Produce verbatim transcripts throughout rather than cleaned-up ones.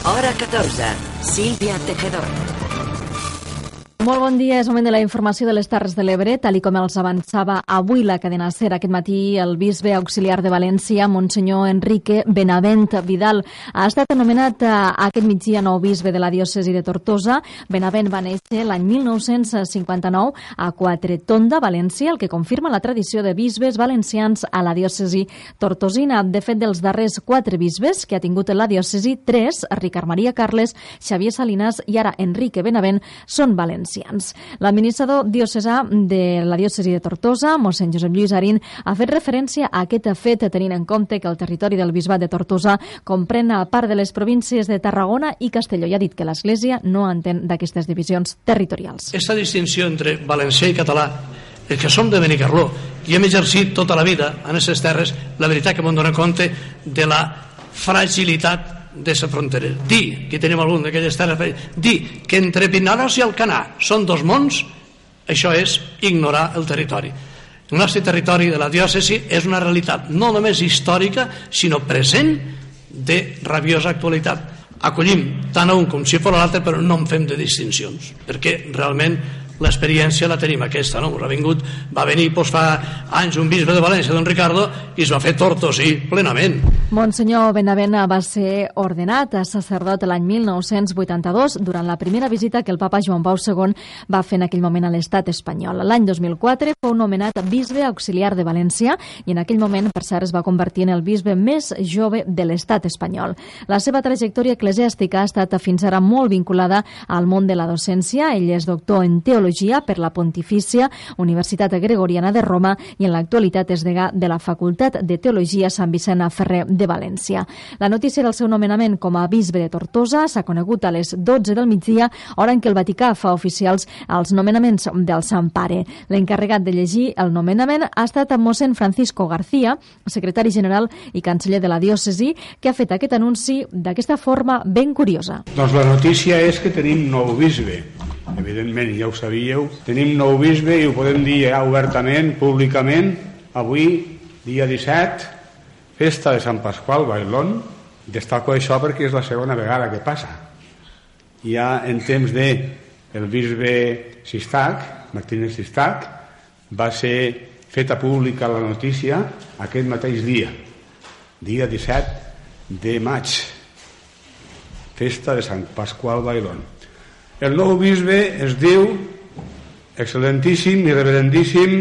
Hora catorze. Sílvia Tejedor. Molt bon dia, és moment de la informació de les Terres de l'Ebre. Tal i com els avançava avui la cadena SER, aquest matí el bisbe auxiliar de València, Monsenyor Enrique Benavent Vidal, ha estat anomenat aquest migdia nou bisbe de la diòcesi de Tortosa. Benavent va néixer l'any mil nou-cents cinquanta-nou a Quatretonda, València, el que confirma la tradició de bisbes valencians a la diòcesi tortosina. De fet, dels darrers quatre bisbes que ha tingut la diòcesi, tres, Ricard Maria Carles, Xavier Salinas i ara Enrique Benavent, són valencians. L'administrador diocesà de la diòcesi de Tortosa, mossèn Josep Lluís Arín, ha fet referència a aquest fet tenint en compte que el territori del bisbat de Tortosa comprèn a part de les províncies de Tarragona i Castelló i ha dit que l'Església no entén d'aquestes divisions territorials. Aquesta distinció entre valencià i català, el que som de Benicarló i hem exercit tota la vida en aquestes terres, la veritat que m'ho dono compte de la fragilitat de la frontera. Dir, que tenim algun d'aquelles terres, dir que entre Vinaròs i Alcanar són dos mons, això és ignorar el territori. El nostre territori de la diòcesi és una realitat no només històrica, sinó present de rabiosa actualitat. Acollim tant a un com si fos l'altre, però no en fem de distincions, perquè realment l'experiència la tenim aquesta, no? Ha vingut, va venir doncs, fa anys un bisbe de València, don Ricardo, i es va fer tortosí plenament. Monsenyor Benavent va ser ordenat a sacerdot l'any mil nou-cents vuitanta-dos durant la primera visita que el papa Joan Pau segon va fer en aquell moment a l'estat espanyol. L'any dos mil quatre fou nomenat bisbe auxiliar de València i en aquell moment, per cert, es va convertir en el bisbe més jove de l'estat espanyol. La seva trajectòria eclesiàstica ha estat fins ara molt vinculada al món de la docència. Ell és doctor en teologia per la Pontifícia Universitat Gregoriana de Roma i en l'actualitat és degà de la Facultat de Teologia Sant Vicent Ferrer de València. La notícia del seu nomenament com a bisbe de Tortosa s'ha conegut a les dotze del migdia, hora en què el Vaticà fa oficials els nomenaments del Sant Pare. L'encarregat de llegir el nomenament ha estat mossèn Francisco García, secretari general i canceller de la diòcesi, que ha fet aquest anunci d'aquesta forma ben curiosa. Doncs la notícia és que tenim nou bisbe. Evidentment, ja ho sabíeu. Tenim nou bisbe i ho podem dir ja obertament, públicament. Avui, dia disset, festa de Sant Pasqual, Bailón. Destaco això perquè és la segona vegada que passa. Ja en temps de el bisbe Sistac, Martínez Sistac, va ser feta pública la notícia aquest mateix dia, dia disset de maig, festa de Sant Pasqual, Bailón. El nou bisbe es diu excel·lentíssim i reverendíssim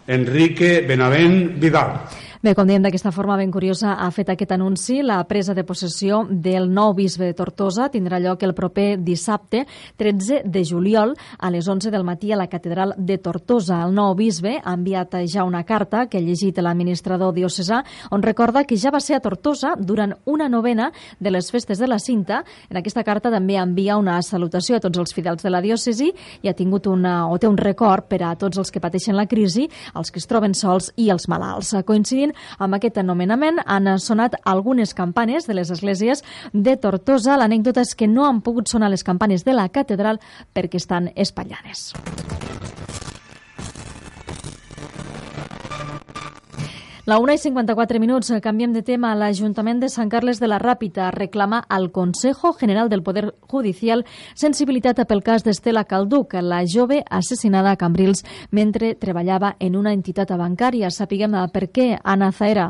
Enrique Benavent Vidal. Bé, com dèiem, d'aquesta forma ben curiosa ha fet aquest anunci. La presa de possessió del nou bisbe de Tortosa tindrà lloc el proper dissabte, tretze de juliol, a les onze del matí a la catedral de Tortosa. El nou bisbe ha enviat ja una carta que ha llegit l'administrador diocesà, on recorda que ja va ser a Tortosa durant una novena de les festes de la Cinta. En aquesta carta també envia una salutació a tots els fidels de la diòcesi i ha tingut una, o té un record per a tots els que pateixen la crisi, els que es troben sols i els malalts. Coincidint amb aquest anomenament han sonat algunes campanes de les esglésies de Tortosa. L'anècdota és que no han pogut sonar les campanes de la catedral perquè estan espatllades. La una i cinquanta-quatre minuts, canviem de tema. L'Ajuntament de Sant Carles de la Ràpita reclama al Consejo General del Poder Judicial sensibilitat pel cas d'Estela Calduc, la jove assassinada a Cambrils mentre treballava en una entitat bancària. Sapiguem per què, Anna Zaera.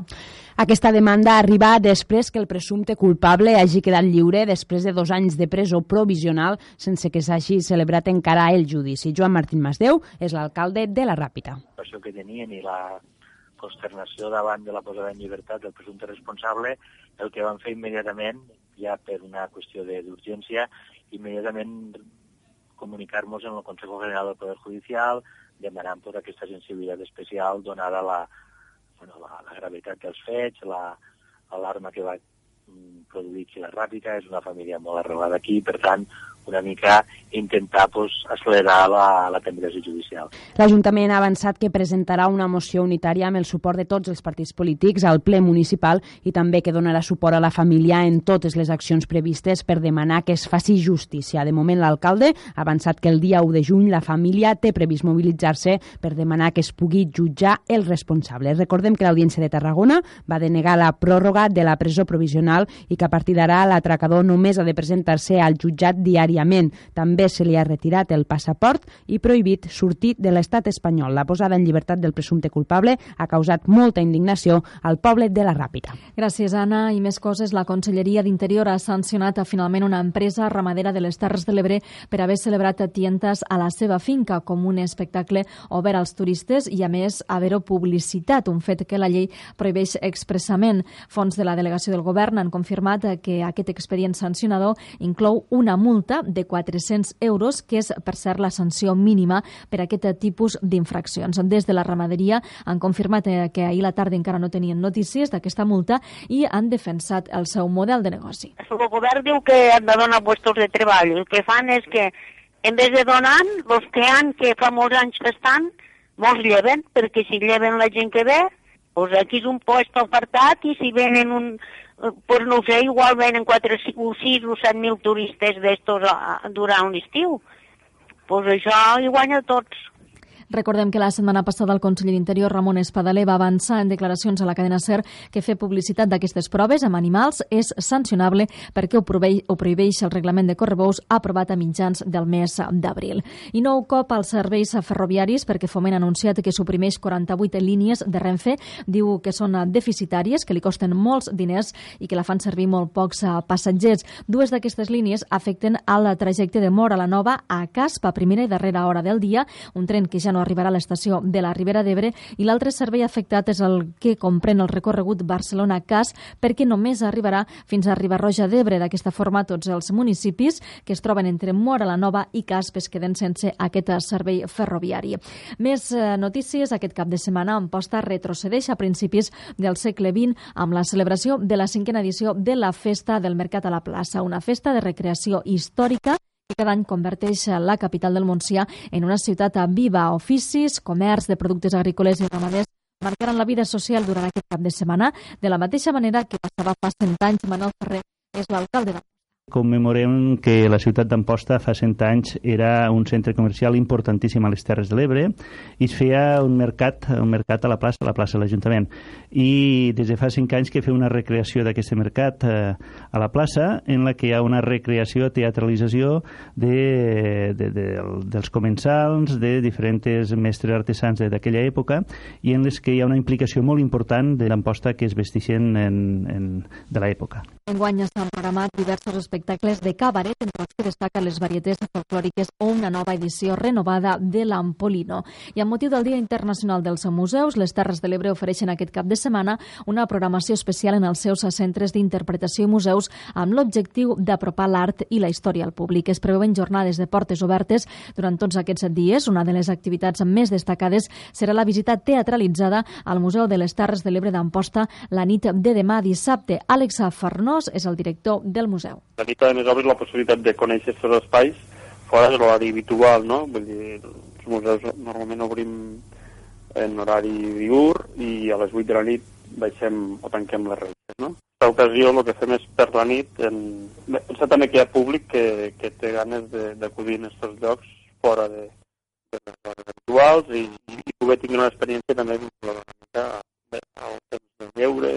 Aquesta demanda arriba després que el presumpte culpable hagi quedat lliure després de dos anys de presó provisional sense que s'hagi celebrat encara el judici. Joan Martín Masdeu és l'alcalde de la Ràpita. Això que tenien i la consternació davant de la posada en llibertat del presumpte responsable, el que van fer immediatament, ja per una qüestió d'urgència, immediatament comunicar-nos en el Consejo General del Poder Judicial, demanant tota aquesta sensibilitat especial donada la, bueno, la, la gravetat dels fets, l'alarma que va produir aquí la Ràpita. És una família molt arrelada aquí, per tant, una mica intentar pues, accelerar la, la tramitació judicial. L'Ajuntament ha avançat que presentarà una moció unitària amb el suport de tots els partits polítics al ple municipal i també que donarà suport a la família en totes les accions previstes per demanar que es faci justícia. De moment, l'alcalde ha avançat que el dia u de juny la família té previst mobilitzar-se per demanar que es pugui jutjar el responsable. Recordem que l'Audiència de Tarragona va denegar la pròrroga de la presó provisional i que a partir d'ara l'atracador només ha de presentar-se al jutjat diàriament. També se li ha retirat el passaport i prohibit sortir de l'estat espanyol. La posada en llibertat del presumpte culpable ha causat molta indignació al poble de la Ràpita. Gràcies, Anna. I més coses, la Conselleria d'Interior ha sancionat finalment una empresa ramadera de les Terres de l'Ebre per haver celebrat tientes a la seva finca com un espectacle obert als turistes i, a més, haver-ho publicitat, un fet que la llei prohibeix expressament. Fons de la delegació del govern han confirmat que aquest expedient sancionador inclou una multa de quatre-cents euros, que és, per cert, la sanció mínima per a aquest tipus d'infraccions. Des de la ramaderia han confirmat que ahir a la tarda encara no tenien notícies d'aquesta multa i han defensat el seu model de negoci. El govern diu que han de donar puestos de treball. El que fan és que, en vez de donar, els que han, que fa molts anys que estan, molts lleven, perquè si lleven la gent que ve, doncs aquí és un lloc apartat i si venen un... pues no sé, igual venen quatre, cinc, sis o set mil turistes d'estos durant l'estiu. Pues això hi guanya tots. Recordem que la setmana passada el conseller d'Interior, Ramon Espadaler, va avançar en declaracions a la cadena SER que fer publicitat d'aquestes proves amb animals és sancionable perquè ho prohibeix, ho prohibeix el reglament de correbous aprovat a mitjans del mes d'abril. I nou cop als serveis ferroviaris perquè Foment ha anunciat que suprimeix quaranta-vuit línies de Renfe. Diu que són deficitàries, que li costen molts diners i que la fan servir molt pocs passatgers. Dues d'aquestes línies afecten al trajecte de Móra la Nova a Casp a primera i darrera hora del dia, un tren que ja no arribarà a l'estació de la Ribera d'Ebre, i l'altre servei afectat és el que comprèn el recorregut Barcelona-Casp, perquè només arribarà fins a Riba-roja d'Ebre. D'aquesta forma, tots els municipis que es troben entre Móra la Nova i Casp es queden sense aquest servei ferroviari. Més eh, notícies. Aquest cap de setmana Amposta retrocedeix a principis del segle vint amb la celebració de la cinquena edició de la Festa del Mercat a la Plaça, una festa de recreació històrica que cada any converteix la capital del Montsià en una ciutat viva. Oficis, comerç de productes agrícoles i ramaders marcaran la vida social durant aquest cap de setmana, de la mateixa manera que passava fa cent anys. Manuel Ferrer és l'alcalde de Commemorem que la ciutat d'Amposta fa cent anys era un centre comercial importantíssim a les Terres de l'Ebre i es feia un mercat, un mercat a la plaça, a la plaça de l'Ajuntament. I des de fa cinc anys que fa una recreació d'aquest mercat eh, a la plaça, en la que hi ha una recreació, teatralització de, de, de, dels comensals, de diferents mestres artesans d'aquella època, i en les que hi ha una implicació molt important de l'Amposta que es vestixen en, en, de l'època. Enguany s'han programat diversos espectacles de cabaret, entre els que destaquen les varietés folclòriques o una nova edició renovada de l'Ampolino. I amb motiu del Dia Internacional dels Museus, les Terres de l'Ebre ofereixen aquest cap de setmana una programació especial en els seus centres d'interpretació i museus amb l'objectiu d'apropar l'art i la història al públic. Es preveuen jornades de portes obertes durant tots aquests dies. Una de les activitats més destacades serà la visita teatralitzada al Museu de les Terres de l'Ebre d'Amposta la nit de demà dissabte. Àlex Farnós és el director del museu. La nit també ens obre la possibilitat de conèixer aquests espais fora de l'horari habitual, no? Vull dir, els museus normalment obrim en horari diürn i a les vuit de la nit baixem o tanquem les revistes, no? En aquesta ocasió el que fem és per la nit, en... pensar també que hi ha públic que, que té ganes d'acudir en aquests llocs fora de, de les hores habituals i, i poder tenir una experiència també una mica al temps de lleure,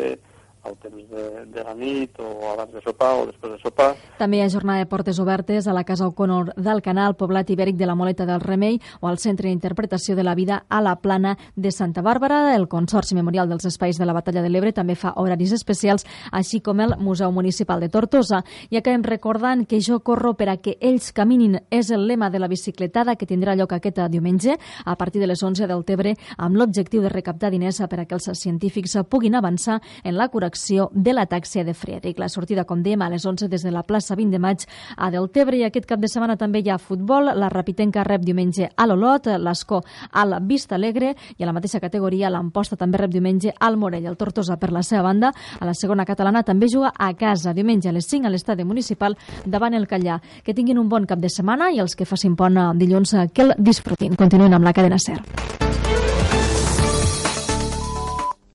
al temps de, de la nit o abans de sopar o després de sopar. També hi ha jornada de portes obertes a la Casa O'Connor del Canal, Poblat Ibèric de la Moleta del Remei o al Centre d'Interpretació de la Vida a la Plana de Santa Bàrbara. El Consorci Memorial dels Espais de la Batalla de l'Ebre també fa horaris especials, així com el Museu Municipal de Tortosa. I acabem recordant que Jo corro per a que ells caminin és el lema de la bicicletada que tindrà lloc aquest diumenge a partir de les onze del Tebre amb l'objectiu de recaptar diners per a que els científics puguin avançar en la correcció l'acció de la Tàxia de Friedrich. La sortida, com dèiem, a les onze des de la plaça vint de maig a Deltebre, i aquest cap de setmana també hi ha futbol. La Rapitenca rep diumenge a l'Olot, l'Escó al Vista Alegre, i a la mateixa categoria l'Amposta també rep diumenge al Morell. El Tortosa, per la seva banda, a la segona catalana també juga a casa, diumenge a les cinc a l'estadi municipal davant el Callà. Que tinguin un bon cap de setmana i els que facin pont dilluns que el disfrutin. Continuen amb la cadena SER.